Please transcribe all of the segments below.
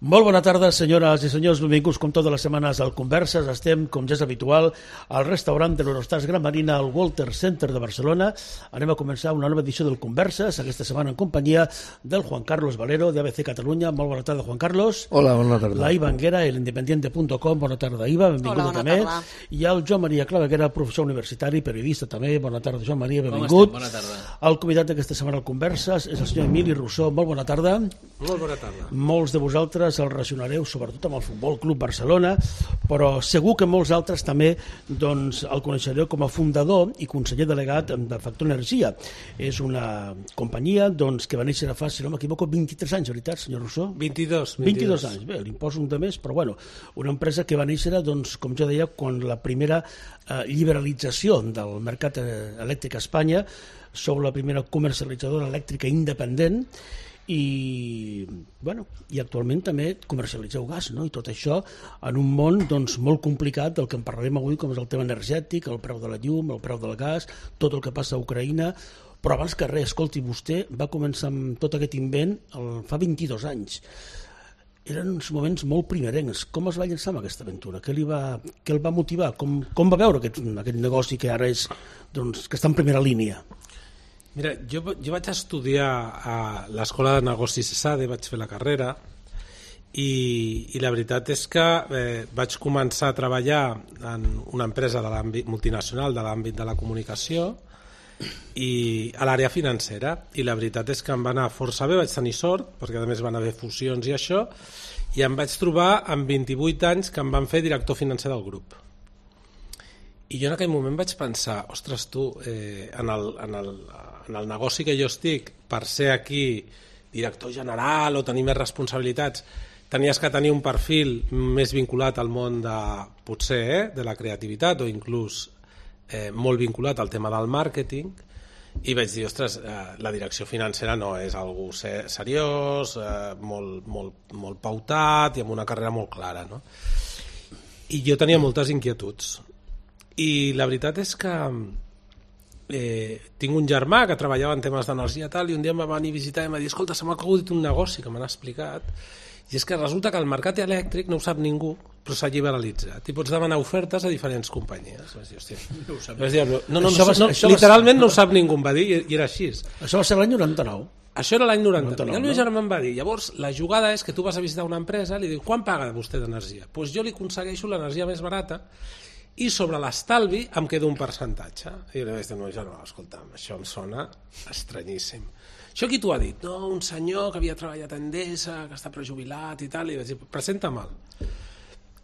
Molt bona tarda, senyores i senyors, benvinguts com totes les setmanes al Converses. Estem, com ja és habitual, al restaurant de l'Eurostars Gran Marina, al Walter Center de Barcelona. Anem a començar una nova edició del Converses, aquesta setmana en companyia del Juan Carlos Valero, de ABC Catalunya. Molt bona tarda, Juan Carlos. Hola, bona tarda. La Iva Anguera, elindependiente.com. Bona tarda, Iva, benvinguda també. I el Joan Maria Claveguera, professor universitari, periodista també. Bona tarda, Joan Maria, benvingut. Bona tarda. El convidat d'aquesta setmana al Converses és el senyor Emili Rousseau. Molt bona tarda. Molt bona tarda. Molts de vosaltres el relacionareu sobretot amb el Futbol Club Barcelona, però segur que molts altres també el coneixereu com a fundador i conseller delegat de Factor Energia. És una companyia que va néixer fa, si no m'equivoco, 23 anys, veritat, senyor Rousseau? 22 anys, bé, li poso un de més, però bueno, una empresa que va néixer, com jo deia, quan la primera liberalització del mercat elèctric a Espanya, sou la primera comercialitzadora elèctrica independent, i actualment també comercialitzeu gas, no? I tot això en un món molt complicat del que en parlarem avui, com és el tema energètic, el preu de la llum, el preu del gas, tot el que passa a Ucraïna. Però abans que res, escolti, vostè va començar amb tot aquest invent fa 22 anys. Eren uns moments molt primerencs. Com es va llançar amb aquesta aventura? Què el va motivar? Com va veure aquest negoci que ara és, que està en primera línia? Mira, jo vaig estudiar a l'Escola de Negocis ESADE, vaig fer la carrera i la veritat és que vaig començar a treballar en una empresa de l'àmbit multinacional de l'àmbit de la comunicació i a l'àrea financera, i la veritat és que em va anar força bé, vaig tenir sort perquè a més van haver fusions i això, i em vaig trobar amb 28 anys que em van fer director financer del grup. I jo en aquell moment vaig pensar, ostres, tu, en el negoci que jo estic, per ser aquí director general o tenir més responsabilitats, tenies que tenir un perfil més vinculat al món de la creativitat o inclús molt vinculat al tema del màrqueting, i vaig dir, ostres, la direcció financera no és algú seriós, molt pautat i amb una carrera molt clara, no? I jo tenia moltes inquietuds. I la veritat és que tinc un germà que treballava en temes d'energia tal, i un dia em va venir a visitar i em va dir, escolta, se m'ha acudit un negoci que m'han explicat, i és que resulta que el mercat elèctric no ho sap ningú, però s'ha liberalitzat i pots demanar ofertes a diferents companyies. Vaig dir, hòstia, no ho sap. Literalment no ho sap ningú, em va dir, i era així. Això va ser l'any 99? Això era l'any 99. I el meu germà em va dir, llavors la jugada és que tu vas a visitar una empresa, li dius, quan paga vostè d'energia? Doncs jo li aconsegueixo l'energia més barata i sobre l'estalvi em queda un percentatge. I li vaig dir, no, escolta'm, això em sona estranyíssim. Això qui t'ho ha dit? No, un senyor que havia treballat a Endesa, que està prejubilat i tal, i vaig dir, presenta-me'l.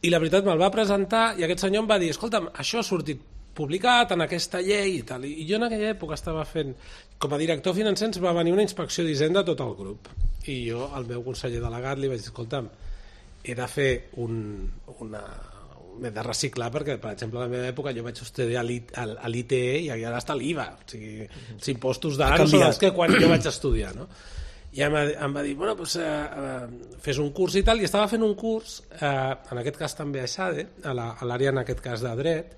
I la veritat me'l va presentar i aquest senyor em va dir, escolta'm, això ha sortit publicat en aquesta llei i tal. I jo en aquella època estava fent, com a director financer ens va venir una inspecció d'Hisenda a tot el grup. I jo, al meu conseller delegat, li vaig dir, escolta'm, he de fer m'he de reciclar perquè, per exemple, a la meva època jo vaig estudiar a l'ITE i ara està l'IVA, o sigui, els impostos d'ara són els que quan jo vaig estudiar, no? I em va dir, bueno, doncs fes un curs i tal, i estava fent un curs, en aquest cas també a ESADE, a l'àrea en aquest cas de dret,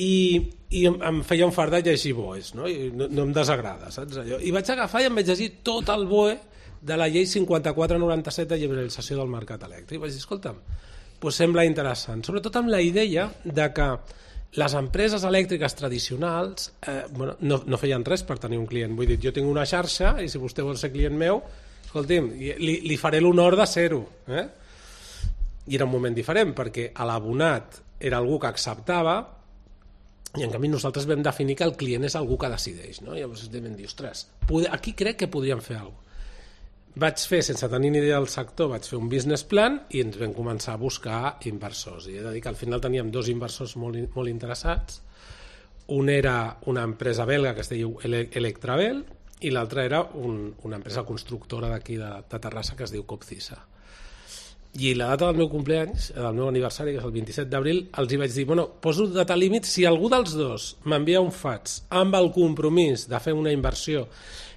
i em feia un fart de llegir BOEs, no? I no em desagrada, saps allò? I vaig agafar i em vaig llegir tot el BOE de la llei 5497 de liberalització del mercat elèctric. Vaig dir, escolta'm, doncs sembla interessant, sobretot amb la idea de que les empreses elèctriques tradicionals no feien res per tenir un client. Vull dir, jo tinc una xarxa i si vostè vol ser client meu, escolti'm, li faré l'honor de ser-ho. I era un moment diferent perquè l'abonat era algú que acceptava i en canvi nosaltres vam definir que el client és algú que decideix, no? Llavors vam dir, ostres, aquí crec que podríem fer alguna cosa. Vaig fer, sense tenir ni idea del sector, vaig fer un business plan i ens vam començar a buscar inversors. I he de dir que al final teníem dos inversors molt interessats. Un era una empresa belga que es diu Electravel i l'altra era una empresa constructora d'aquí de Terrassa que es diu Copcisa. I la data del meu cumpleaños, del meu aniversari, que és el 27 d'abril, els hi vaig dir, poso data límit, si algú dels dos m'envia un fax amb el compromís de fer una inversió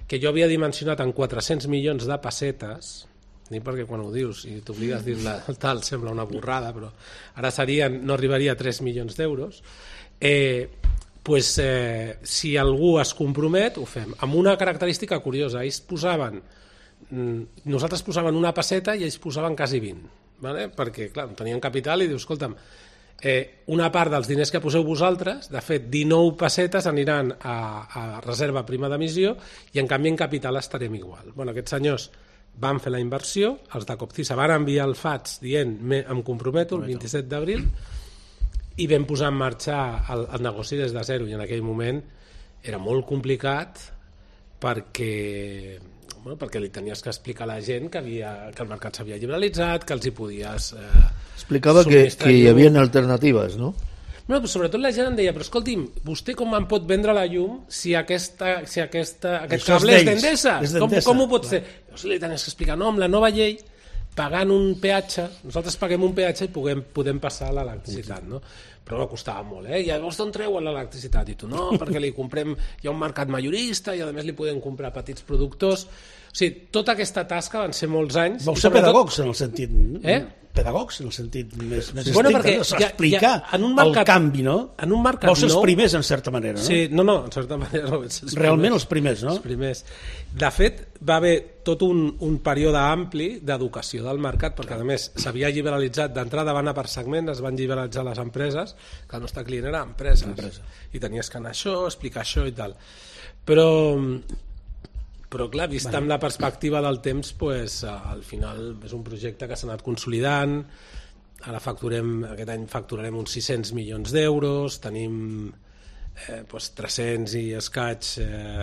que jo havia dimensionat en 400 milions de pessetes, perquè quan ho dius i t'obligues dir-la tal, sembla una borrada, però ara no arribaria a 3 milions d'euros, si algú es compromet, ho fem. Amb una característica curiosa, ells posaven nosaltres posàvem una pesseta i ells posaven quasi 20, vale? Perquè, clar, no tenien capital i dius, escolta'm, una part dels diners que poseu vosaltres, de fet, 19 pessetes aniran a reserva prima d'emissió i, en canvi, en capital estarem igual. Bueno, aquests senyors van fer la inversió, els de Copcisa van enviar el FATS dient em comprometo el 27 d'abril i vam posar en marxa el negoci des de zero, i en aquell moment era molt complicat perquè li tenies que explicar a la gent que el mercat s'havia liberalitzat, que els hi podies explicava que hi havia alternatives, no? No, però sobretot la gent em deia, però escolti'm, vostè com em pot vendre la llum si aquest cable és d'Endesa? Com ho pot ser? Si li tenies que explicar, no, amb la nova llei, pagant un peatge, nosaltres paguem un peatge i podem passar l'electricitat, no? Però costava molt, I llavors d'on treuen l'electricitat? I tu, no, perquè li comprem, hi ha un mercat majorista i a més li podem comprar petits productors. O sigui, tota aquesta tasca van ser molts anys. Vau ser pedagogs en el sentit... Pedagogs en el sentit més estricte, explicar el canvi, no? En un mercat nou... Vau ser els primers, en certa manera, no? Sí, no, en certa manera no. Realment els primers, no? Els primers. De fet, va haver tot un període ampli d'educació del mercat, perquè a més s'havia liberalitzat d'entrada, van a per segment, es van liberalitzar les empreses, que el nostre client era empreses. I tenies que anar això, explicar això i tal. Però clar, vist amb la perspectiva del temps, al final és un projecte que s'ha anat consolidant. Ara aquest any facturarem uns 600 milions d'euros, tenim 300 i escaig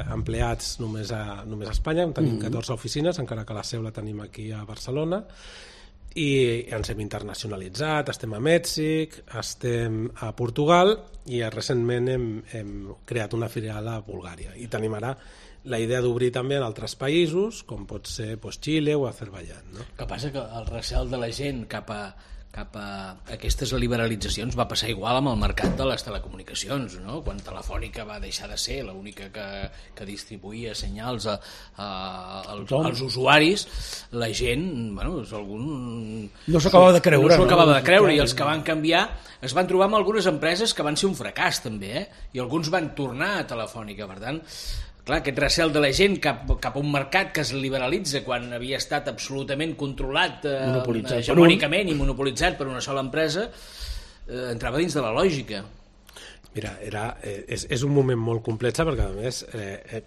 empleats només a Espanya, tenim 14 oficines, encara que la seu la tenim aquí a Barcelona, i ens hem internacionalitzat, estem a Mèxic, estem a Portugal i recentment hem creat una filial a Bulgària, i tenim ara la idea d'obrir també en altres països, com pot ser Xile o Azerbaiyán. No? El que passa que el recel de la gent cap a aquestes liberalitzacions va passar igual amb el mercat de les telecomunicacions, no? Quan Telefònica va deixar de ser l'única que distribuïa senyals als usuaris, la gent, no s'ho acabava de creure. No s'ho acabava de creure, i els que van canviar es van trobar amb algunes empreses que van ser un fracàs també, i alguns van tornar a Telefònica. Per tant, clar, aquest recel de la gent cap a un mercat que es liberalitza quan havia estat absolutament controlat hegemònicament i monopolitzat per una sola empresa, entrava dins de la lògica. Mira, és un moment molt complex, perquè a més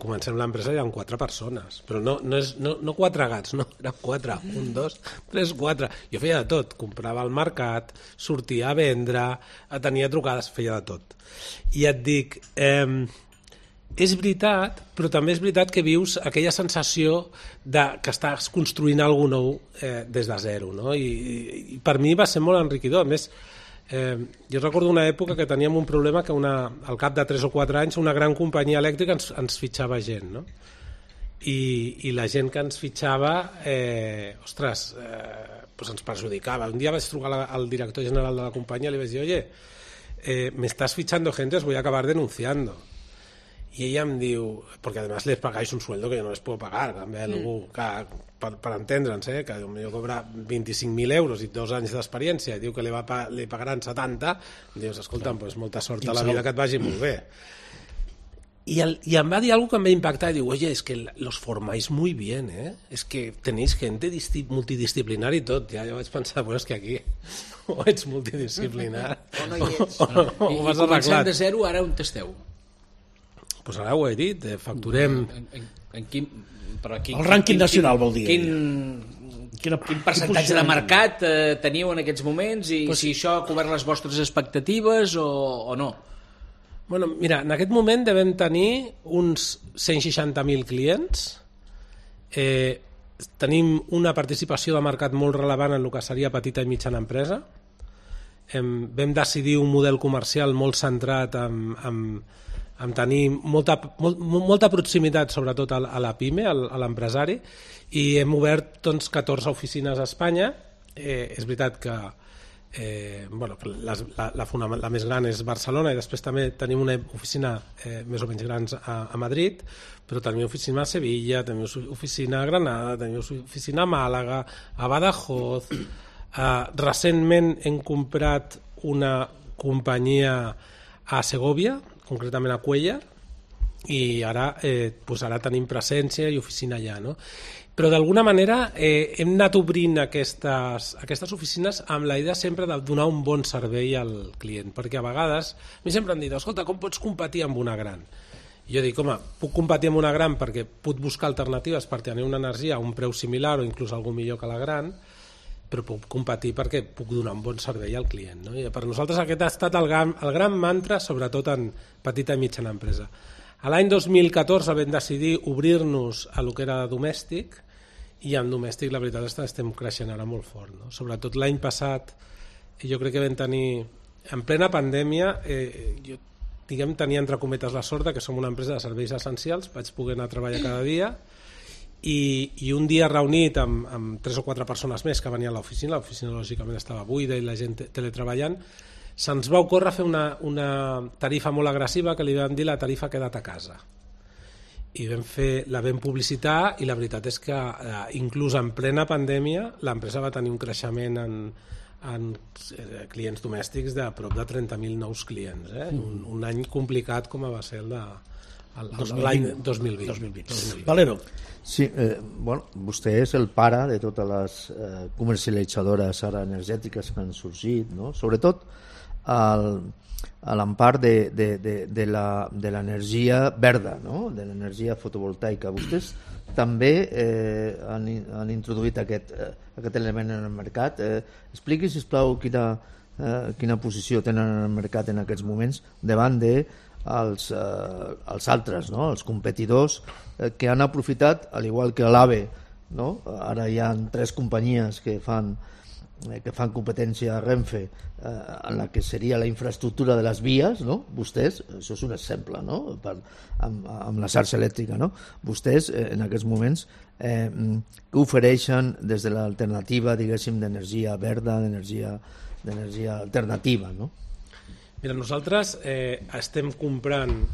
comencem l'empresa i hi ha 4 persones, però no 4 gats, no, eren 4, 1, 2, 3, 4. Jo feia de tot, comprava al mercat, sortia a vendre, tenia trucades, feia de tot. I et dic... És veritat, però també és veritat que vius aquella sensació que estàs construint alguna cosa nou des de zero, no? I per mi va ser molt enriquidor. A més, jo recordo una època que teníem un problema que al cap de 3 o 4 anys una gran companyia elèctrica ens fitxava gent, no? I la gent que ens fitxava, ens perjudicava. Un dia vaig trucar al director general de la companyia i li vaig dir, oye, me estás fichando gente, os voy a acabar denunciando. Y ella em diu, porque además les pagáis un sueldo que yo no les puedo pagar, també algú per entendre'ns, que potser cobra 25.000 euros i 2 anys d'experiència i diu que li pagaran 70, dius, escolta'm, pues molta sort a la vida, que et vagi molt bé. Y em va dir algo que me impacta, y digo, oye, es que los formáis muy bien, es que tenéis gente multidisciplinar y tot. Ja vaig pensar, pues és que aquí o ets multidisciplinar o no hi ets. I començant de zero, ara on esteu? Pues ara ho he dit, facturem... El rànquing nacional, vol dir. Quin percentatge de mercat teniu en aquests moments, i si això ha cobert les vostres expectatives o no? Bueno, mira, en aquest moment devem tenir uns 160.000 clients, tenim una participació de mercat molt relevant en el que seria petita i mitjana empresa, vam decidir un model comercial molt centrat en tenir molta proximitat, sobretot a la PIME, a l'empresari, i hem obert 14 oficines a Espanya. És veritat que la més gran és Barcelona, i després també tenim una oficina més o menys gran a Madrid, però tenim oficina a Sevilla, tenim oficina a Granada, tenim oficina a Màlaga, a Badajoz. Recentment hem comprat una companyia a Segovia, concretament a Cuéllar, i ara tenim presència i oficina allà, no? Però d'alguna manera hem anat obrint aquestes oficines amb la idea sempre de donar un bon servei al client, perquè a vegades a mi sempre em dit, escolta, com pots competir amb una gran? I jo dic, home, puc competir amb una gran perquè puc buscar alternatives per tenir una energia a un preu similar o inclús algú millor que la gran, però puc competir perquè puc donar un bon servei al client, no? I per nosaltres aquest ha estat el gran mantra, sobretot en petita i mitjana empresa. A l'any 2014 vam decidir obrir-nos a lo que era domèstic, i en domèstic la veritat és que estem creixent ara molt fort, no? Sobretot l'any passat jo crec que vam tenir en plena pandèmia jo tenia entre cometes la sort que som una empresa de serveis essencials, vaig poder anar a treballar cada dia i un dia reunit amb 3 o 4 persones més que venien a l'oficina lògicament estava buida i la gent teletreballant, se'ns va ocórrer fer una tarifa molt agressiva que li vam dir la tarifa queda't a casa. I la vam publicitar i la veritat és que inclús en plena pandèmia l'empresa va tenir un creixement en clients domèstics de prop de 30.000 nous clients, un any complicat com va ser l'any 2020. Valero. Sí, vostè és el pare de totes les comercialitzadores ara energètiques que han sorgit, no? Sobretot a l'empart de l'energia verda, no? De l'energia fotovoltaica. Vostès també han introduït aquest element en el mercat. Expliqui, sisplau, quina posició tenen en el mercat en aquests moments davant dels altres, no? Els competidors que han aprofitat, al igual que l'AVE, no? Ara hi ha 3 companyies que fan competència a Renfe en la que seria la infraestructura de les vies, no? Vostès, això és un exemple, no? Amb la xarxa elèctrica, no? Vostès en aquests moments que ofereixen des de l'alternativa, diguéssim, d'energia verda, d'energia alternativa, no? Mira, nosaltres estem comprant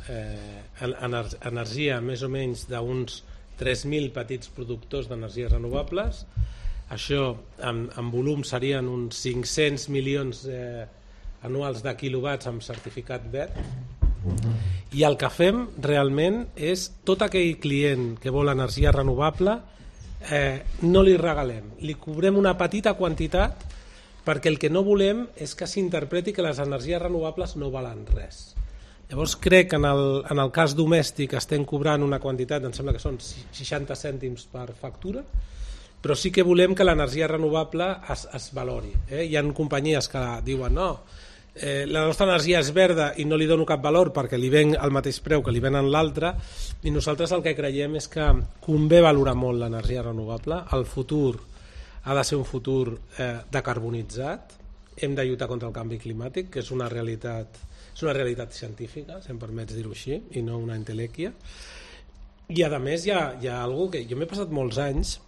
energia més o menys d'uns 3.000 petits productors d'energies renovables. Això en volum serien uns 500 milions anuals de quilowatts amb certificat verd, i el que fem realment és tot aquell client que vol energia renovable no li regalem, li cobrem una petita quantitat perquè el que no volem és que s'interpreti que les energies renovables no valen res. Llavors crec que en el cas domèstic estem cobrant una quantitat, em sembla que són 60 cèntims per factura, però sí que volem que l'energia renovable es valori. Hi ha companyies que diuen no, la nostra energia és verda i no li dono cap valor perquè li ven al mateix preu que li venen l'altra, i nosaltres el que creiem és que convé valorar molt l'energia renovable. El futur ha de ser un futur decarbonitzat, hem de lluitar contra el canvi climàtic, que és una realitat científica, si em permets dir-ho així, i no una entelèquia. I a més hi ha algo que jo m'he passat molts anys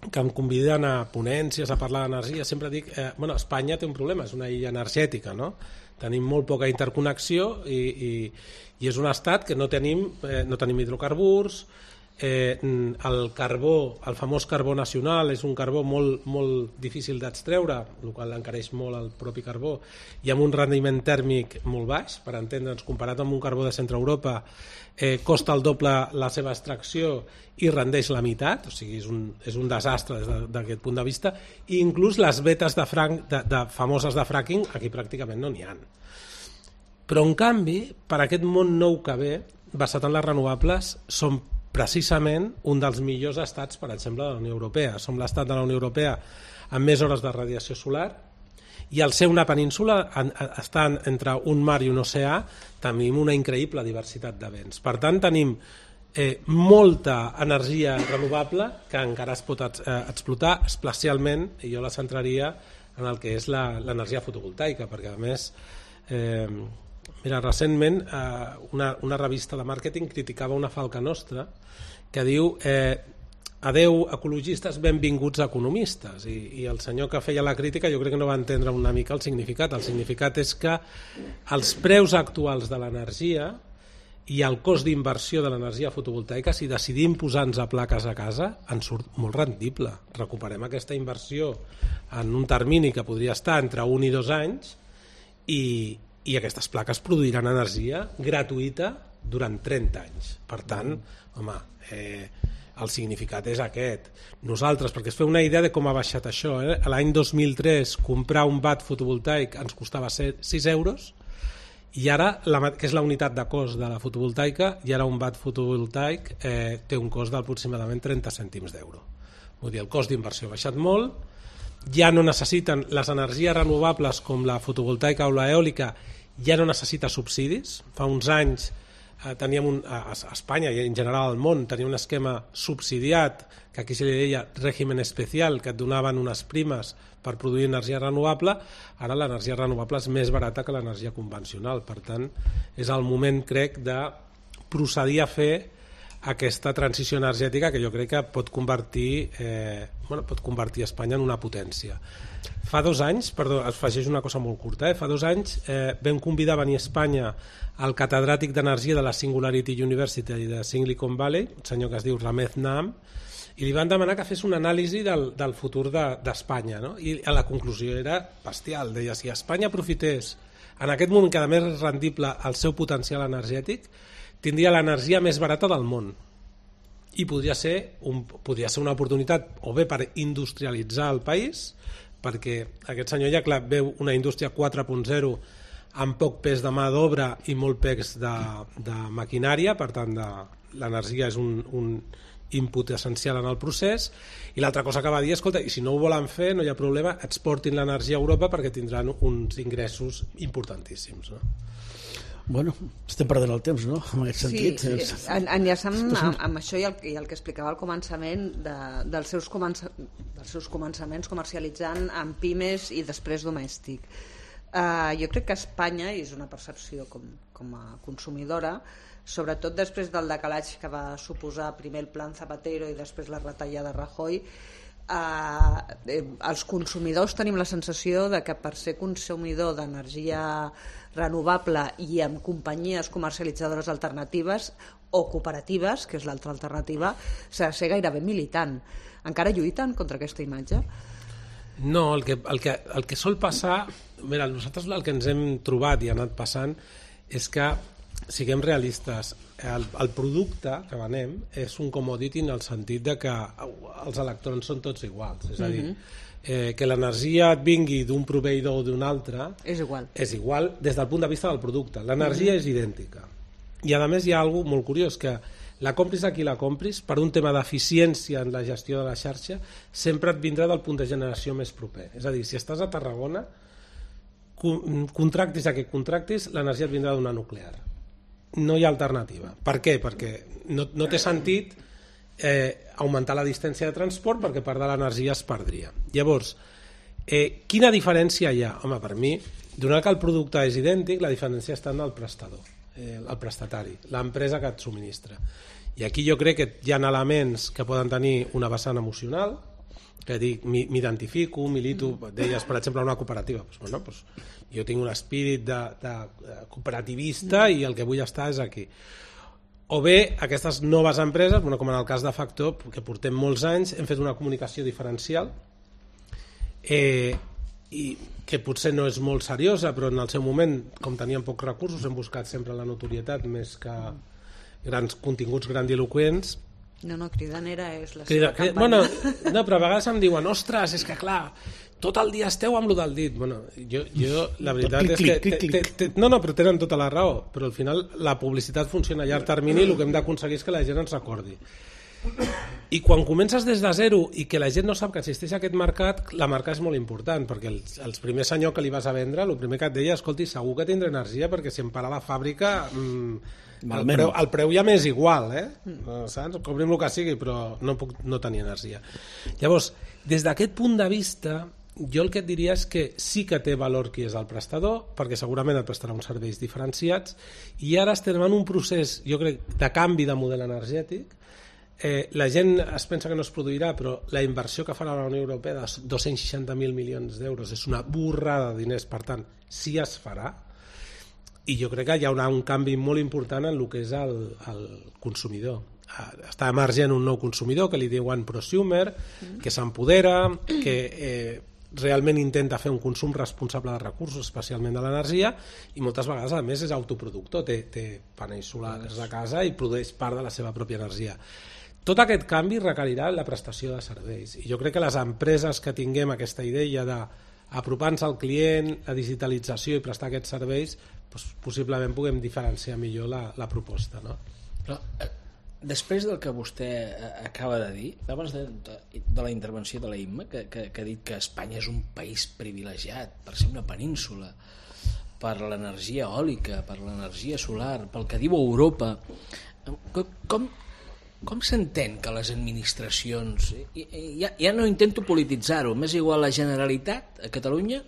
que em conviden a ponències a parlar d'energia, sempre dic, Espanya té un problema, és una illa energètica, no? Tenim molt poca interconnexió i és un estat que no tenim hidrocarburs, el carbó, el famós carbó nacional, és un carbó molt, molt difícil d'extreure, el qual encareix molt el propi carbó, i amb un rendiment tèrmic molt baix, per entendre'ns, comparat amb un carbó de centre Europa, costa el doble la seva extracció i rendeix la meitat, o sigui, és un desastre des d'aquest punt de vista, i inclús les vetes famoses de fracking aquí pràcticament no n'hi ha. Però en canvi, per aquest món nou que ve, basat en les renovables, som precisament un dels millors estats, per exemple, de la Unió Europea. Som l'estat de la Unió Europea amb més hores de radiació solar, i al ser una península, estant entre un mar i un oceà, tenim una increïble diversitat de vents. Per tant, tenim molta energia renovable que encara es pot explotar, especialment, i jo la centraria en el que és l'energia fotovoltaica, perquè a més, mira, recentment una revista de màrqueting criticava una falca nostra que diu adeu ecologistes, benvinguts economistes, i el senyor que feia la crítica jo crec que no va entendre una mica el significat. El significat és que els preus actuals de l'energia i el cost d'inversió de l'energia fotovoltaica, si decidim posar-nos a plaques a casa, ens surt molt rendible. Recuperem aquesta inversió en un termini que podria estar entre 1 i 2 anys, i aquestes plaques produiran energia gratuïta durant 30 anys. Per tant, home, el significat és aquest. Nosaltres, perquè es feu una idea de com ha baixat això, l'any 2003 comprar un watt fotovoltaic ens costava 6 euros, i ara, que és la unitat de cost de la fotovoltaica, i ara un watt fotovoltaic té un cost d'aproximadament 30 cèntims d'euro. Vull dir, el cost d'inversió ha baixat molt, ja no necessiten les energies renovables com la fotovoltaica o l'eòlica, ja no necessita subsidis. Fa uns anys teníem a Espanya i en general al món tenia un esquema subsidiat que aquí se li deia règim especial, que et donaven unes primes per produir energia renovable. Ara l'energia renovable és més barata que l'energia convencional, per tant és el moment, crec, de procedir a fer aquesta transició energètica que jo crec que pot convertir Espanya en una potència. Fa 2 anys, perdó, es afegeix una cosa molt curta, fa 2 anys vam convidar a venir a Espanya el catedràtic d'energia de la Singularity University de Silicon Valley, un senyor que es diu Ramez Naam, i li van demanar que fes una anàlisi del futur d'Espanya, no? I la conclusió era bestial, deia, si Espanya aprofités en aquest moment que a més és rendible el seu potencial energètic, tindria l'energia més barata del món i podria ser una oportunitat o bé per industrialitzar el país, perquè aquest senyor ja clar, veu una indústria 4.0 amb poc pes de mà d'obra i molt pes de maquinària, per tant l'energia és un input essencial en el procés, i l'altra cosa que va dir, escolta, i si no ho volen fer no hi ha problema, exportin l'energia a Europa perquè tindran uns ingressos importantíssims, no? Bueno, estem perdent el temps, no?, en aquest sentit. Sí, enllaçant amb això i el que explicava al començament dels seus començaments comercialitzant en pimes i després domèstic. Jo crec que Espanya, i és una percepció com a consumidora, sobretot després del decalatge que va suposar primer el Plan Zapatero i després la retallada Rajoy, els consumidors tenim la sensació de que per ser consumidor d'energia renovable i amb companyies comercialitzadores alternatives o cooperatives, que és l'altra alternativa, s'ha de ser gairebé militant. Encara lluiten contra aquesta imatge? No, el que sol passar, mira, nosaltres el que ens hem trobat i ha anat passant és que, siguem realistes, el producte que venem és un commodity en el sentit de que els electrons són tots iguals, és a dir, que l'energia et vingui d'un proveïdor o d'un altre és igual des del punt de vista del producte, l'energia és idèntica, i a més hi ha alguna cosa molt curiós, que la compris a qui la compris, per un tema d'eficiència en la gestió de la xarxa, sempre et vindrà del punt de generació més proper, és a dir, si estàs a Tarragona, contractis a qui contractis, l'energia et vindrà d'una nuclear, no hi ha alternativa. Per què? Perquè no té sentit augmentar la distància de transport, perquè part de l'energia es perdria. Llavors, quina diferència hi ha? Home, per mi, donat que el producte és idèntic, la diferència està en el prestador, el prestatari, l'empresa que et subministra. I aquí jo crec que hi ha elements que poden tenir una vessant emocional, que dic, m'identifico, milito, deies, per exemple, una cooperativa, jo tinc un espírit de cooperativista i el que vull estar és aquí. O bé, aquestes noves empreses, com en el cas de Factor, que portem molts anys, hem fet una comunicació diferencial i que potser no és molt seriosa, però en el seu moment, com teníem pocs recursos, hem buscat sempre la notorietat més que grans continguts grandiloquents. No, cridanera és la seva campanya. No, però a vegades em diuen, ostres, és que clar, tot el dia esteu amb lo del dit. Jo la veritat és que... No, però tenen tota la raó, però al final la publicitat funciona a llarg termini i el que hem d'aconseguir és que la gent ens recordi. I quan comences des de zero i que la gent no sap que existeix aquest mercat, la marca és molt important, perquè els primers senyor que li vas a vendre, el primer que et deia, escolti, segur que tindré energia, perquè si em para la fàbrica... El preu ja m'és igual, saps? Cobrim el que sigui, però no puc no tenir energia. Llavors, des d'aquest punt de vista, jo el que et diria és que sí que té valor qui és el prestador, perquè segurament et prestarà uns serveis diferenciats, i ara estem en un procés, jo crec, de canvi de model energètic. La gent es pensa que no es produirà, però la inversió que farà la Unió Europea de 260.000 milions d'euros és una borrada de diners, per tant, sí es farà, i jo crec que hi haurà un canvi molt important en el que és el consumidor. Està emergent un nou consumidor que li diuen prosumer, que s'empodera, que realment intenta fer un consum responsable de recursos, especialment de l'energia, i moltes vegades a més és autoproductor, té panells solars a casa i produeix part de la seva pròpia energia. tot aquest canvi requerirà la prestació de serveis. I jo crec que les empreses que tinguem aquesta idea d'apropar-nos al client, la digitalització i prestar aquests serveis, doncs, possiblement puguem diferenciar millor la proposta. No? Però, després del que vostè acaba de dir, abans de la intervenció de la Imma, que ha dit que Espanya és un país privilegiat per ser una península, per l'energia eòlica, per l'energia solar, pel que diu Europa, com s'entén que les administracions, ja no intento polititzar-ho, m'és igual la Generalitat a Catalunya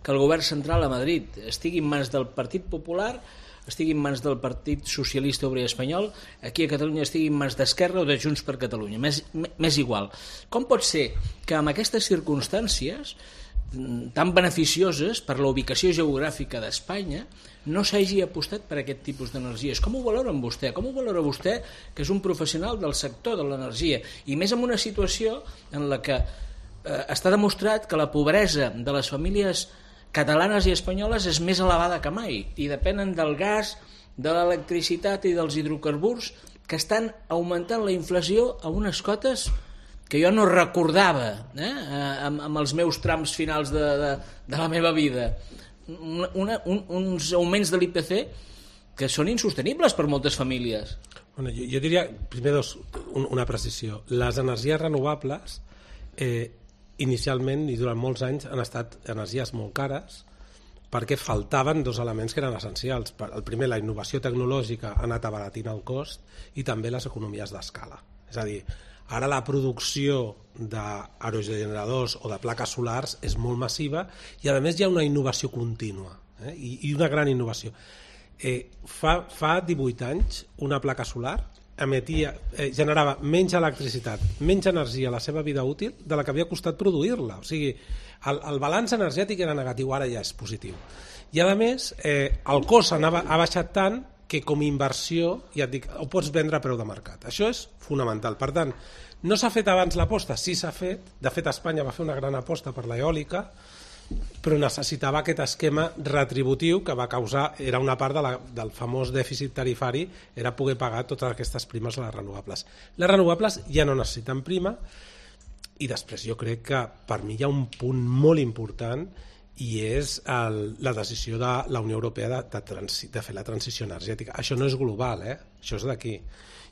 que el govern central a Madrid estigui en mans del Partit Popular, estigui en mans del Partit Socialista Obrer Espanyol, aquí a Catalunya estigui en mans d'Esquerra o de Junts per Catalunya, m'és igual. Com pot ser que en aquestes circumstàncies tan beneficioses per la ubicació geogràfica d'Espanya no s'hagi apostat per aquest tipus d'energies? Com ho valora vostè? Com ho valora vostè, que és un professional del sector de l'energia, i més en una situació en la que està demostrat que la pobresa de les famílies catalanes i espanyoles és més elevada que mai i depenen del gas, de l'electricitat i dels hidrocarburs, que estan augmentant la inflació a unes cotes que jo no recordava amb els meus trams finals de la meva vida. Uns auments de l'IPC que són insostenibles per moltes famílies. Bueno, jo diria, primer una precisió. Les energies renovables inicialment i durant molts anys han estat energies molt cares perquè faltaven dos elements que eren essencials. El primer, la innovació tecnològica ha anat abaratint el cost, i també les economies d'escala. És a dir, ara la producció d'aerogeneradors o de plaques solars és molt massiva i a més hi ha una innovació contínua i una gran innovació. Fa 18 anys una placa solar generava menys electricitat, menys energia a la seva vida útil de la que havia costat produir-la. O sigui, el balanç energètic era negatiu, ara ja és positiu. I a més, el cost ha baixat tant que com a inversió, ja et dic, ho pots vendre a preu de mercat. Això és fonamental. Per tant, no s'ha fet abans l'aposta? Sí, s'ha fet. De fet, Espanya va fer una gran aposta per l'eòlica, però necessitava aquest esquema retributiu que va causar, era una part del famós dèficit tarifari, era poder pagar totes aquestes primes a les renovables. Les renovables ja no necessiten prima, i després jo crec que per mi hi ha un punt molt important, i és la decisió de la Unió Europea de fer la transició energètica. Això no és global, això és d'aquí.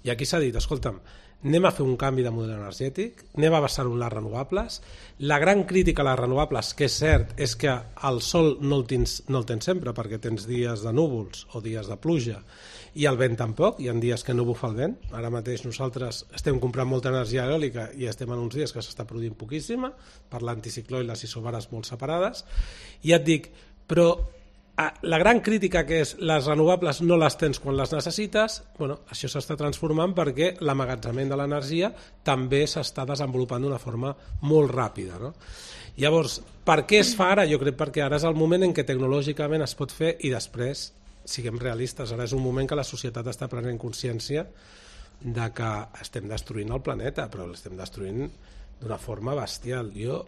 I aquí s'ha dit, escolta'm, anem a fer un canvi de model energètic, anem a basar-ho en les renovables. La gran crítica a les renovables, que és cert, és que el sol no el tens sempre, perquè tens dies de núvols o dies de pluja, i el vent tampoc, hi ha dies que no bufa el vent. Ara mateix nosaltres estem comprant molta energia eòlica i estem en uns dies que s'està produint poquíssima, per l'anticicló i les isobares molt separades. I ja et dic, però la gran crítica, que és les renovables no les tens quan les necessites, bueno, això s'està transformant perquè l'emmagatzemament de l'energia també s'està desenvolupant d'una forma molt ràpida, no? Llavors, per què es fa ara? Jo crec perquè ara és el moment en què tecnològicament es pot fer, i després, siguem realistes, ara és un moment que la societat està prenent consciència de que estem destruint el planeta, però l'estem destruint d'una forma bestial. Jo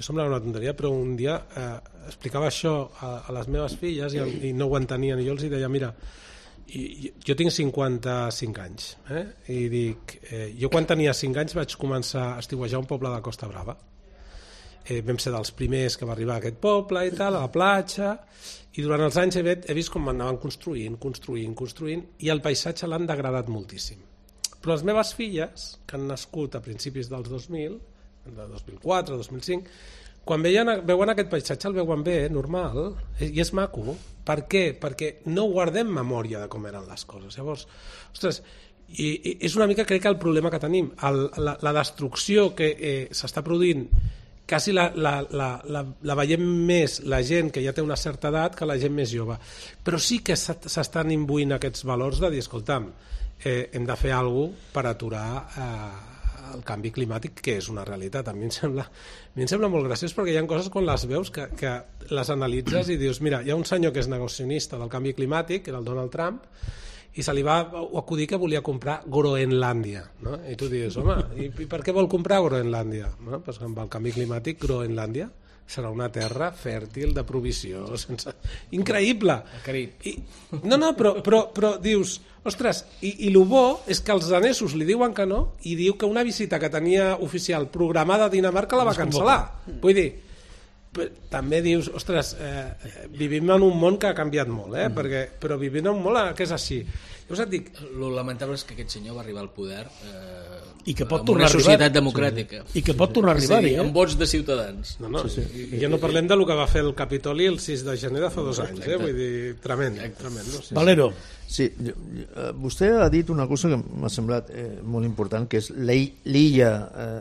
semblava una tonteria, però un dia explicava això a les meves filles i no ho entenien, i jo els deia, mira, jo tinc 55 anys, i dic, jo quan tenia 5 anys vaig començar a estiuejar un poble de Costa Brava. Vam ser dels primers que va arribar a aquest poble i tal, a la platja, i durant els anys he vist com anaven construint, i el paisatge l'han degradat moltíssim. Però les meves filles, que han nascut a principis dels 2000, de 2004, 2005, quan veuen aquest paisatge el veuen bé, normal, i és maco. Per què? Perquè no guardem memòria de com eren les coses. Llavors, ostres, i és una mica, crec que el problema que tenim, la destrucció que s'està produint, quasi la veiem més la gent que ja té una certa edat que la gent més jove. Però sí que s'estan imbuint aquests valors de dir, escolta'm, hem de fer alguna cosa per aturar el canvi climàtic, que és una realitat. A mi em sembla molt graciós, perquè hi ha coses quan les veus que les analitzes i dius, mira, hi ha un senyor que és negacionista del canvi climàtic, que era el Donald Trump, i se li va acudir que volia comprar Groenlàndia, no? I tu dius, home, i per què vol comprar Groenlàndia? No? Pues amb el canvi climàtic, Groenlàndia serà una terra fèrtil de provisió. Increïble! El Carib. No, però dius, ostres, i el bo és que els danesos li diuen que no i diu que una visita que tenia oficial programada a Dinamarca la va cancel·lar. Vull dir, també dius, ostres, vivim en un món que ha canviat molt, però vivim en un món que és així. Llavors et dic... Lo lamentable és que aquest senyor va arribar al poder i que pot amb tornar una societat democràtica. I que pot tornar a arribar-hi, amb vots de ciutadans. No, i ja no parlem del que va fer el Capitoli el 6 de gener de fa 2 anys, vull dir, tremend. No? Valero. Sí, vostè ha dit una cosa que m'ha semblat molt important, que és l'illa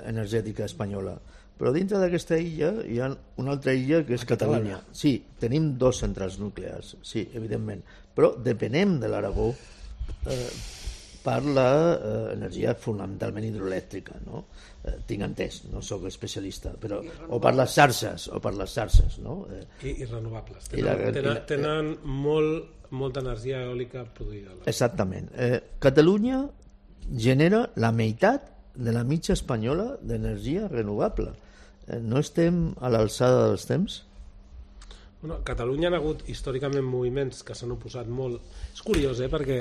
energètica espanyola. Però dintre d'aquesta illa hi ha una altra illa que és Catalunya. Sí, tenim 2 centrals nuclears, sí, evidentment, però depenem de l'Aragó per l'energia fonamentalment hidroelèctrica, no? Tinc entès, no sóc especialista, però o per les xarxes, no? I renovables. Tenen molta energia eòlica produïda. Exactament. Catalunya genera la meitat de la mitja espanyola d'energia renovable. No estem a l'alçada dels temps? Bueno, a Catalunya hi ha hagut històricament moviments que s'han oposat molt. És curiós, perquè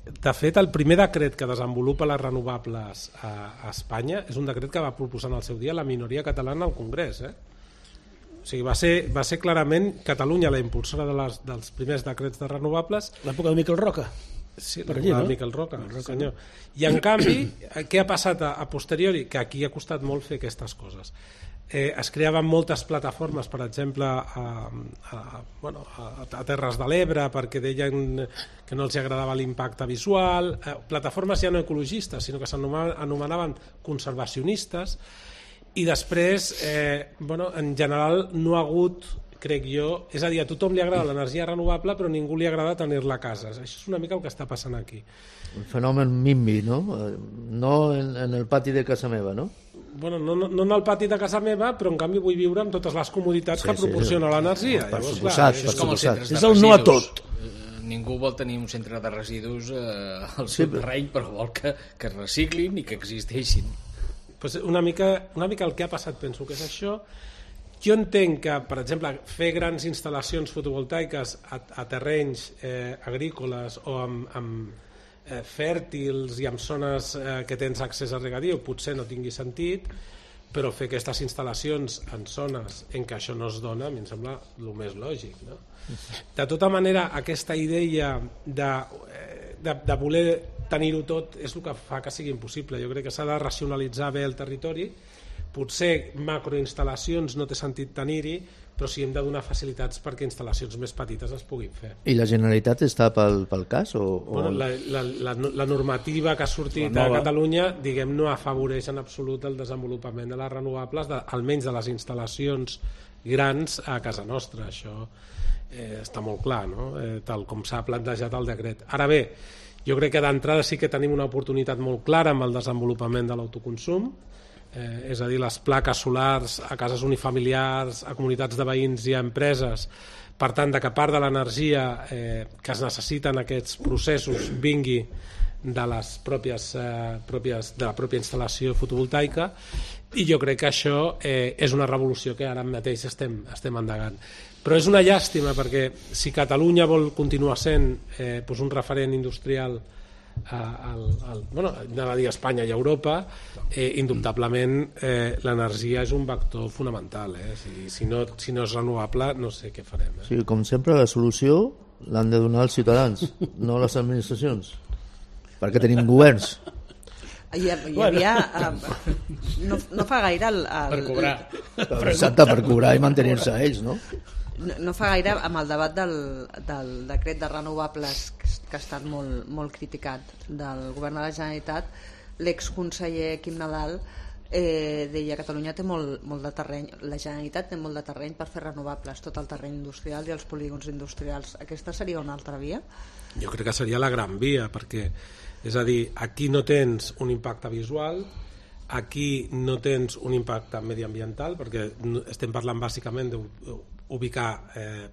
de fet el primer decret que desenvolupa les renovables a Espanya és un decret que va proposar en el seu dia la minoria catalana al Congrés. O sigui, va ser clarament Catalunya la impulsora dels primers decrets de renovables. L'època de Miquel Roca. Sí, l'època de Miquel Roca, senyor. I en canvi, què ha passat a posteriori? Que aquí ha costat molt fer aquestes coses. Es creaven moltes plataformes, per exemple, a Terres de l'Ebre, perquè deien que no els agradava l'impacte visual, plataformes ja no ecologistes, sinó que s'anomenaven conservacionistes, i després, en general, no ha hagut, crec jo, és a dir, a tothom li agrada l'energia renovable, però a ningú li agrada tenir-la a casa. Això és una mica el que està passant aquí. Un fenomen NIMBY, no? No en el pati de casa meva, no? Bueno, no en el pati de casa meva, però en canvi vull viure amb totes les comoditats que proporciona l'energia. Per suposat. És el no a tot. Ningú vol tenir un centre de residus al seu terreny, però vol que es reciclin i que existeixin. Pues una mica el que ha passat, penso que és això. Jo entenc que, per exemple, fer grans instal·lacions fotovoltaiques a terrenys agrícoles o amb fèrtils i amb zones que tens accés a regadiu potser no tingui sentit, però fer aquestes instal·lacions en zones en què això no es dona a mi em sembla el més lògic, no? De tota manera, aquesta idea de voler tenir-ho tot és el que fa que sigui impossible. Jo crec que s'ha de racionalitzar bé el territori. Potser macroinstal·lacions no té sentit tenir-hi, però sí hem de donar facilitats perquè instal·lacions més petites es puguin fer. I la Generalitat està pel cas? Bueno, la normativa que ha sortit a Catalunya, diguem, no afavoreix en absolut el desenvolupament de les renovables, almenys de les instal·lacions grans a casa nostra. Això està molt clar, no? Tal com s'ha plantejat el decret. Ara bé, jo crec que d'entrada sí que tenim una oportunitat molt clara amb el desenvolupament de l'autoconsum, és a dir, les plaques solars a cases unifamiliars, a comunitats de veïns i a empreses, per tant, que part de l'energia que es necessita en aquests processos vingui de la pròpia instal·lació fotovoltaica, i jo crec que això és una revolució que ara mateix estem endegant. Però és una llàstima perquè si Catalunya vol continuar sent un referent industrial anava a dir Espanya i Europa, indubtablement l'energia és un vector fonamental. Si no és renovable no sé què farem. Sí, com sempre la solució l'han de donar els ciutadans, no les administracions, perquè tenim governs. Hi havia no fa gaire per cobrar. Exacte, per cobrar i mantenir-se a ells, no? No fa gaire, amb el debat del decret de renovables que ha estat molt criticat del govern de la Generalitat, l'exconseller Quim Nadal deia que Catalunya té molt de terreny, la Generalitat té molt de terreny per fer renovables, tot el terreny industrial i els polígons industrials. Aquesta seria una altra via? Jo crec que seria la gran via, perquè, és a dir, aquí no tens un impacte visual, aquí no tens un impacte mediambiental, perquè estem parlant bàsicament d'ubicar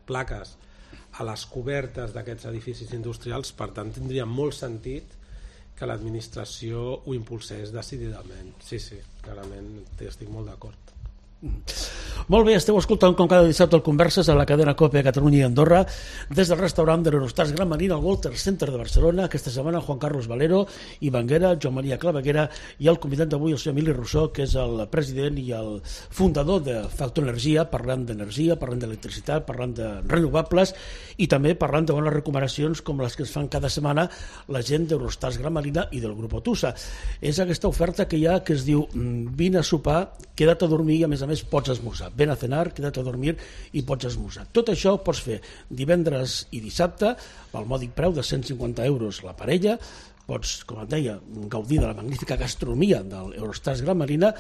plaques a les cobertes d'aquests edificis industrials, per tant tindria molt sentit que l'administració ho impulsés decididament. Sí, clarament estic molt d'acord. Molt bé, esteu escoltant com cada dissabte el Converses a la cadena COPE a Catalunya i Andorra des del restaurant de l'Eurostars Gran Marina al Walter Center de Barcelona. Aquesta setmana Juan Carlos Valero, Ivan Guerra, Joan Maria Claveguera i el convidat d'avui, el senyor Emili Rousseau, que és el president i el fundador de Factor Energia, parlant d'energia, parlant d'electricitat, parlant de renovables i també parlant de bones recomanacions com les que es fan cada setmana la gent d'Eurostars Gran Marina i del grup Otusa. És aquesta oferta que hi ha que es diu vine a sopar, queda't a dormir i a més pots esmorzar. Ven a cenar, queda't a dormir i pots esmorzar. Tot això ho pots fer divendres i dissabte pel mòdic preu de 150 euros la parella. Pots, com et deia, gaudir de la magnífica gastronomia de l'Eurostars Gran Marina,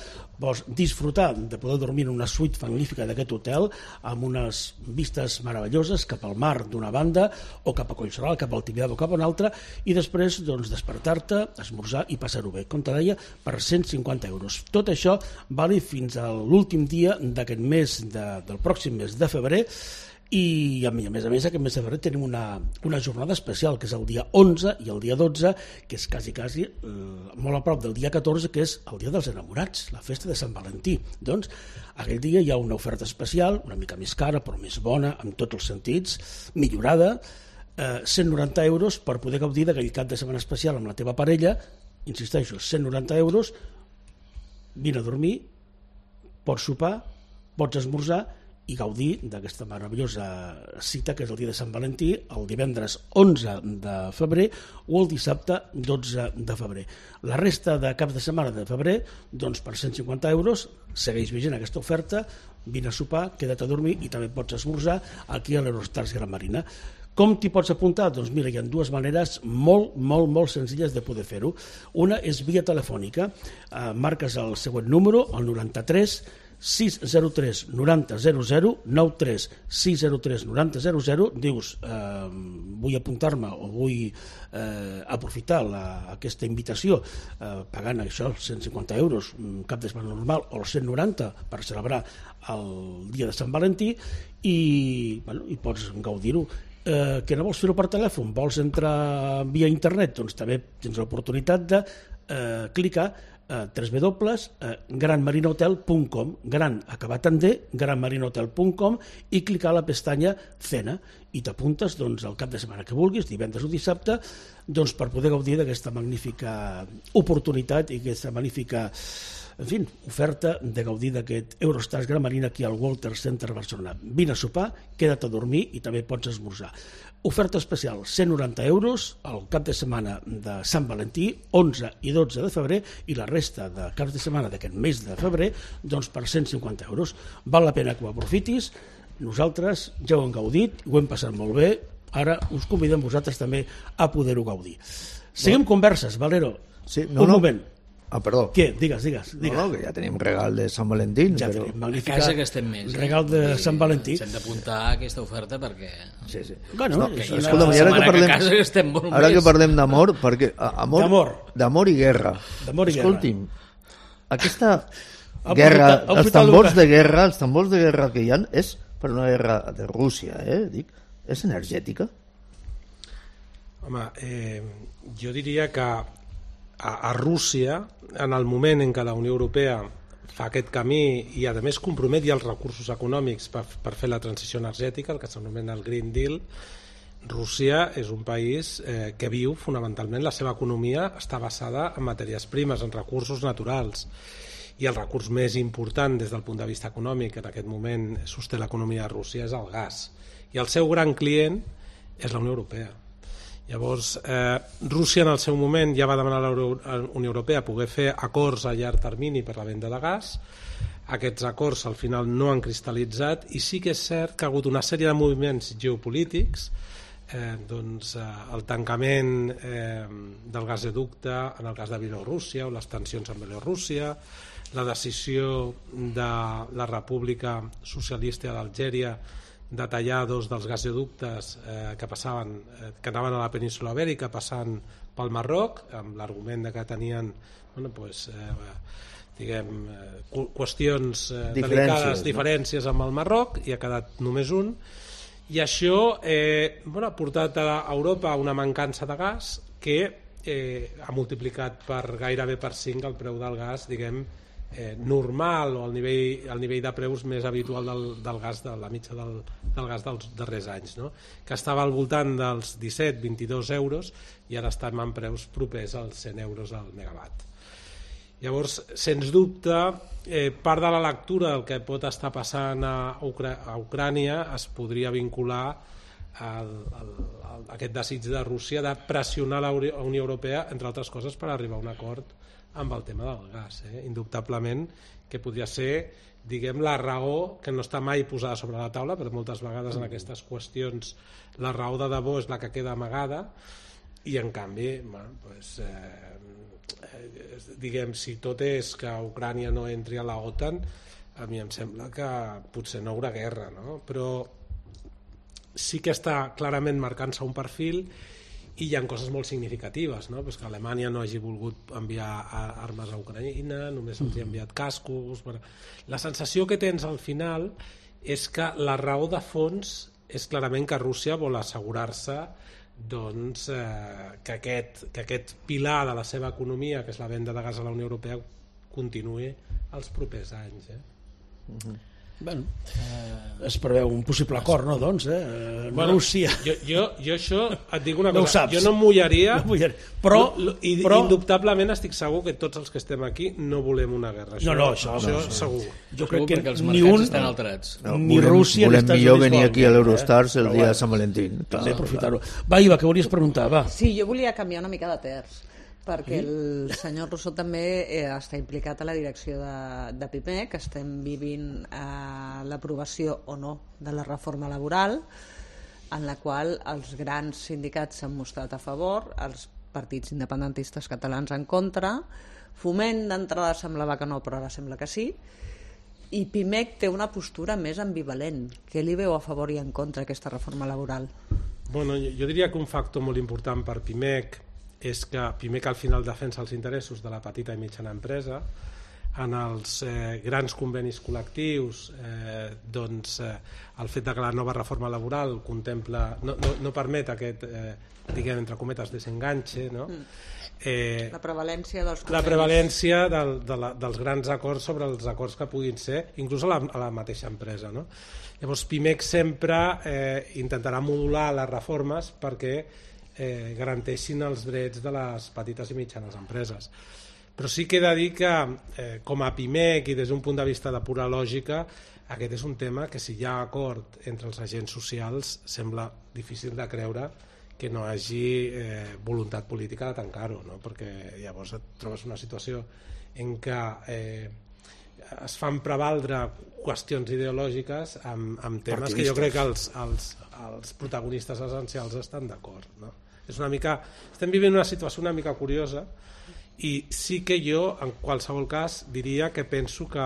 pots disfrutar de poder dormir en una suite magnífica d'aquest hotel amb unes vistes meravelloses cap al mar d'una banda o cap a Collserola, cap al Tibidabo, cap a una altra, i després despertar-te, esmorzar i passar-ho bé, com te deia, per 150 euros. Tot això vale fins a l'últim dia d'aquest mes, del pròxim mes de febrer, i a més aquest mes de febrer tenim una jornada especial que és el dia 11 i el dia 12, que és quasi molt a prop del dia 14, que és el dia dels enamorats, la festa de Sant Valentí. Doncs aquell dia hi ha una oferta especial, una mica més cara però més bona en tots els sentits, millorada, 190 euros per poder gaudir d'aquell cap de setmana especial amb la teva parella. Insisteixo, 190 euros, vine a dormir, pots sopar, pots esmorzar i gaudir d'aquesta meravellosa cita que és el dia de Sant Valentí, el divendres 11 de febrer o el dissabte 12 de febrer. La resta de caps de setmana de febrer, doncs per 150 euros, segueix vigent aquesta oferta, vine a sopar, queda't a dormir i també pots esmorzar aquí a l'Eurostars Gran Marina. Com t'hi pots apuntar? Doncs mira, hi ha dues maneres molt senzilles de poder fer-ho. Una és via telefònica. Marques el següent número, el 93 603 90 00, 93 603 90 00, dius vull apuntar-me o vull aprofitar aquesta invitació pagant això, 150 euros, un cap de setmana normal, o els 190 per celebrar el dia de Sant Valentí i pots gaudir-ho. Que no vols fer-ho per telèfon, vols entrar via internet, doncs també tens l'oportunitat de clicar www.granmarinahotel.com, gran acabat en D, granmarinahotel.com, i clicar a la pestanya Cena i t'apuntes al cap de setmana que vulguis, divendres o dissabte, per poder gaudir d'aquesta magnífica oportunitat i aquesta magnífica oferta de gaudir d'aquest Eurostars Gran Marina aquí al Walter Center Barcelona. Vine a sopar, queda't a dormir i també pots esmorzar. Oferta especial, 190 euros al cap de setmana de Sant Valentí, 11 i 12 de febrer, i la resta de caps de setmana d'aquest mes de febrer, doncs per 150 euros. Val la pena que ho aprofitis, nosaltres ja ho hem gaudit, ho hem passat molt bé, ara us convidem vosaltres també a poder-ho gaudir. Seguim converses, Valero. Sí, un moment. Perdó. Què? Digues. No, que ja tenim regal de Sant Valentí. Ja però... tenim magnífica... A casa que estem més. Regal de Sant Valentí. S'hem d'apuntar a aquesta oferta perquè... Sí. Bueno, escolta'm, ara que parlem d'amor, perquè d'amor i guerra. Escolti'm, aquesta guerra, els tambors de guerra que hi ha, és per una guerra de Rússia, dic, és energètica? Home, jo diria que a Rússia, en el moment en què la Unió Europea fa aquest camí i a més compromet ja els recursos econòmics per fer la transició energètica, el que s'anomena el Green Deal, Rússia és un país que viu fonamentalment, la seva economia està basada en matèries primes, en recursos naturals, i el recurs més important des del punt de vista econòmic que en aquest moment sosté l'economia de Rússia és el gas, i el seu gran client és la Unió Europea. Llavors, Rússia en el seu moment ja va demanar a la Unió Europea poder fer acords a llarg termini per la venda de gas. Aquests acords al final no han cristal·litzat i sí que és cert que ha hagut una sèrie de moviments geopolítics, el tancament del gasoducte en el cas de Bielorússia o les tensions amb Bielorússia, la decisió de la República Socialista d'Algèria de tallar dos dels gasoductes que anaven a la península Ibèrica passant pel Marroc, amb l'argument que tenien qüestions delicades, diferències amb el Marroc, i ha quedat només un, i això ha portat a Europa una mancança de gas que ha multiplicat gairebé per 5 el preu del gas, normal o el nivell de preus més habitual del gas, de la mitja del gas dels darrers anys, no? Que estava al voltant dels 17-22 euros i ara estem en preus propers als 100 euros al megawatt. Llavors, sens dubte, part de la lectura del que pot estar passant a Ucrània es podria vincular a aquest desig de Rússia de pressionar la Unió Europea, entre altres coses, per arribar a un acord amb el tema del gas. Indubtablement que podria ser, diguem, la raó que no està mai posada sobre la taula, però moltes vegades en aquestes qüestions la raó de debò és la que queda amagada, i en canvi, bueno, pues, diguem, si tot és que Ucrània no entri a la OTAN, a mi em sembla que potser no hi haurà guerra, no? Però sí que està clarament marcant-se un perfil i hi ha coses molt significatives, no? Pues que Alemanya no hagi volgut enviar armes a Ucraïna, només els ha enviat cascos. La sensació que tens al final és que la raó de fons és clarament que Rússia vol assegurar-se doncs, que aquest pilar de la seva economia, que és la venda de gas a la Unió Europea, continuï els propers anys. Bueno, es preveu un possible acord, no, doncs, Rússia. Jo això et dic una cosa, jo no em mullaria, però indubtablement estic segur que tots els que estem aquí no volem una guerra. Això segur. Jo crec que els mercats estan alterats. Ni Rússia volem millor venir aquí a l'Eurostars el dia de Sant Valentín. Aprofitar-ho. Va, Iva, què volies preguntar? Va. Sí, jo volia canviar una mica de terç, perquè el senyor Rousseau també està implicat a la direcció de PIMEC, que estem vivint l'aprovació o no de la reforma laboral, en la qual els grans sindicats s'han mostrat a favor, els partits independentistes catalans en contra, Foment d'entrada semblava que no, però ara sembla que sí, i PIMEC té una postura més ambivalent. Què li veu a favor i en contra aquesta reforma laboral? Bueno, jo diria que un factor molt important per PIMEC és que PIMEC al final defensa els interessos de la petita i mitjana empresa. En els grans convenis col·lectius, doncs, el fet que la nova reforma laboral contempla, no permet aquest, diguem, entre cometes, desenganxe, no? La prevalència dels convenis. La prevalència dels grans acords sobre els acords que puguin ser, inclús a la mateixa empresa, no? Llavors, PIMEC sempre intentarà modular les reformes perquè garanteixin els drets de les petites i mitjanes empreses. Però sí que he de dir que com a PIMEC i des d'un punt de vista de pura lògica, aquest és un tema que si hi ha acord entre els agents socials sembla difícil de creure que no hi hagi voluntat política de tancar-ho, no? Perquè llavors et trobes una situació en què es fan prevaldre qüestions ideològiques amb temes que jo crec que els protagonistes essencials estan d'acord, no? És una mica, estem vivint una situació una mica curiosa i sí que jo en qualsevol cas diria que penso que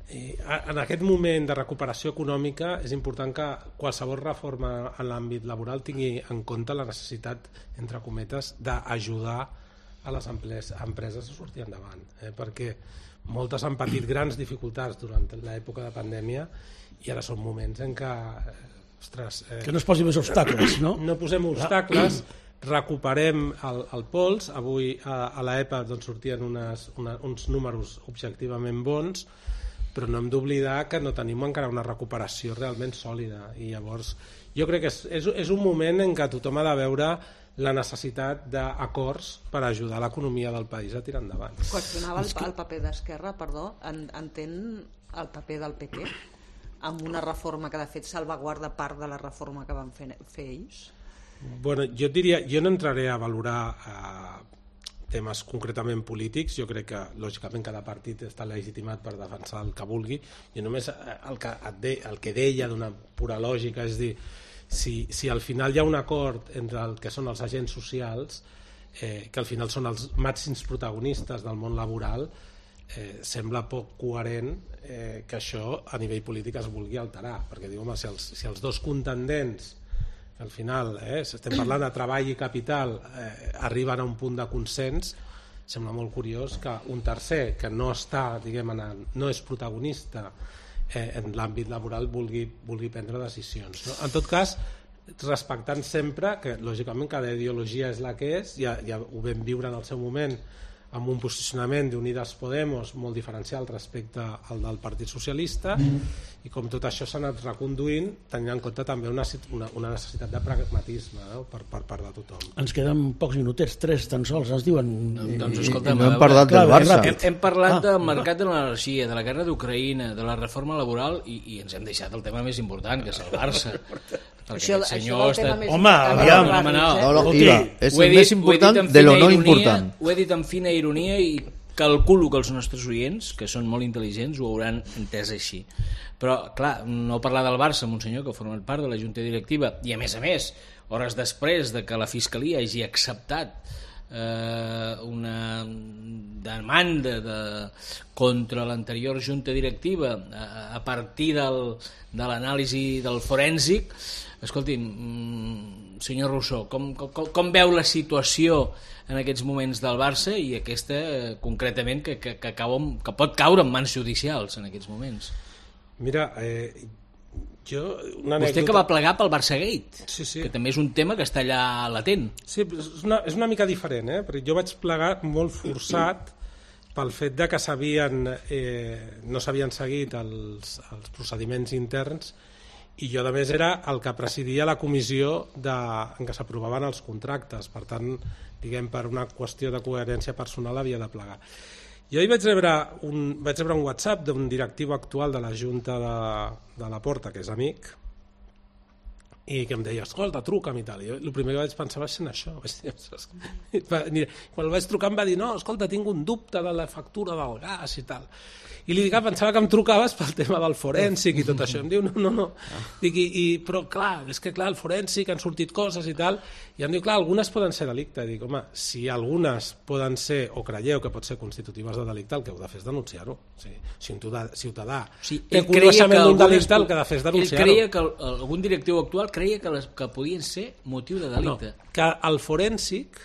en aquest moment de recuperació econòmica és important que qualsevol reforma en l'àmbit laboral tingui en compte la necessitat, entre cometes, d'ajudar a les empreses a sortir endavant, perquè moltes han patit grans dificultats durant l'època de pandèmia i ara són moments en què que no es posi més obstacles, no? No posem obstacles, recuperem el pols. Avui a l'EPA doncs, sortien uns números objectivament bons, però no hem d'oblidar que no tenim encara una recuperació realment sòlida i llavors jo crec que és un moment en què tothom ha de veure la necessitat d'acords per ajudar l'economia del país a tirar endavant. Qüestionava el paper d'Esquerra, perdó, entén el paper del PP amb una reforma que de fet salvaguarda part de la reforma que van fer ells? Bueno, jo no entraré a valorar temes concretament polítics. Jo crec que lògicament cada partit està legitimat per defensar el que vulgui. Jo només el que deia d'una pura lògica és dir, si al final hi ha un acord entre el que són els agents socials, que al final són els màxims protagonistes del món laboral, sembla poc coherent que això a nivell polític es vulgui alterar, perquè diu, home, si els dos contendents que al final estem parlant de treball i capital arriben a un punt de consens, sembla molt curiós que un tercer que no està, diguem, no és protagonista en l'àmbit laboral vulgui prendre decisions, no? En tot cas, respectant sempre que lògicament cada ideologia és la que és, ja ho vam viure en el seu moment amb un posicionament d'Unidas Podemos molt diferencial respecte al del Partit Socialista, i com tot això s'ha anat reconduint tenint en compte també una necessitat de pragmatisme, no? per part de tothom. Ens queden pocs minutets, 3 tan sols, ens diuen... Doncs escolta, no hem parlat del Barça. Hem parlat del mercat de l'energia, de la guerra d'Ucraïna, de la reforma laboral, i ens hem deixat el tema més important, que és el Barça. Això del tema més Home, aviam, és el més important de lo no important. Ho he dit amb fina ironia i calculo que els nostres oients, que són molt intel·ligents, ho hauran entès així. Però, clar, no parlar del Barça amb un senyor que ha format part de la Junta Directiva i, a més, hores després de que la Fiscalia hagi acceptat una demanda contra l'anterior Junta Directiva a partir de l'anàlisi del forènsic. Escolti'm, senyor Rousseau, com veu la situació en aquests moments del Barça i aquesta concretament que pot caure en mans judicials en aquests moments? Mira, vostè que va plegar pel Barçagate, sí. Que també és un tema que està allà latent. Sí, és una mica diferent, perquè jo vaig plegar molt forçat pel fet de que no s'havien seguit els procediments interns, i jo a més era el que presidia la comissió en què s'aprovaven els contractes, per tant, diguem, per una qüestió de coherència personal havia de plegar. Jo hi vaig rebre un WhatsApp d'un directiu actual de la Junta de la Porta, que és amic, i que em deia, escolta, truca'm i tal. I el primer que vaig pensar va ser en això. Quan el vaig trucar em va dir, no, escolta, tinc un dubte de la factura del gas i tal. I li dic, pensava que em trucaves pel tema del forènsic i tot això. Em diu, no. Dic, però clar, és que clar, el forènsic han sortit coses i tal, i em diu, clar, algunes poden ser delicte. Dic, home, si algunes poden ser, o creieu que pot ser constitutives de delicte, el que heu de fer és denunciar-ho. Si un ciutadà té coneixement d'un delicte, el que ha de fer és denunciar-ho. Ell creia que algun directiu actual creia que podien ser motiu de delicte. No, que el forènsic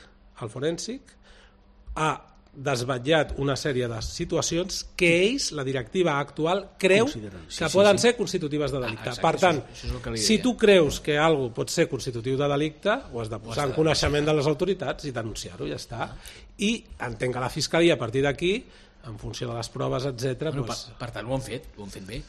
ha desvetllat una sèrie de situacions que ells, la directiva actual, creu que poden ser constitutives de delicte. Per tant, si tu creus que alguna cosa pot ser constitutiu de delicte, ho has de posar en coneixement de les autoritats i denunciar-ho, ja està. I entenc que la Fiscalia, a partir d'aquí, en funció de les proves, etc. Per tant, ho han fet bé.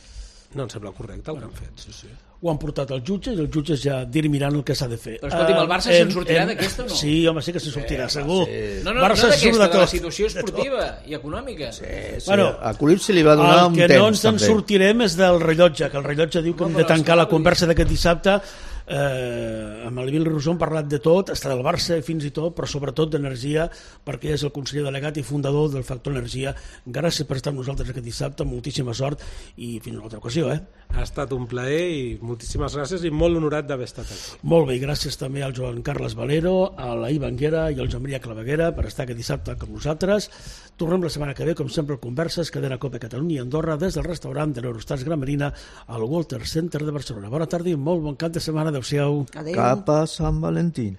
No em sembla correcte el que han fet, sí. Ho han portat als jutges i els jutges ja dirimiran el que s'ha de fer. Però escolti'm, el Barça se'n sortirà d'aquesta o no? Sí, home, sí que se'n sortirà, segur. No d'aquesta, de la situació esportiva i econòmica. Sí. Bueno, a Colip se li va donar un temps. El que no ens en sortirem és del rellotge, que el rellotge diu que hem de tancar la conversa d'aquest dissabte. Amb el Emili Rousseau hem parlat de tot, està del Barça fins i tot, però sobretot d'energia, perquè és el conseller delegat i fundador del Factor Energia. Gràcies per estar amb nosaltres aquest dissabte, moltíssima sort i fins a una altra ocasió. Ha estat un plaer i moltíssimes gràcies i molt honorat d'haver estat aquí. Molt bé, gràcies també al Joan Carles Valero, a la Iva Anguera i al Joan Maria Claveguera per estar aquest dissabte amb nosaltres. Tornem la setmana que ve, com sempre, Converses, cadena Cope Catalunya i Andorra, des del restaurant de l'Eurostats Gran Marina al Walter Center de Barcelona. Bona tarda i molt bon cap de setmana. Adéu-siau. Cap a Sant Valentí.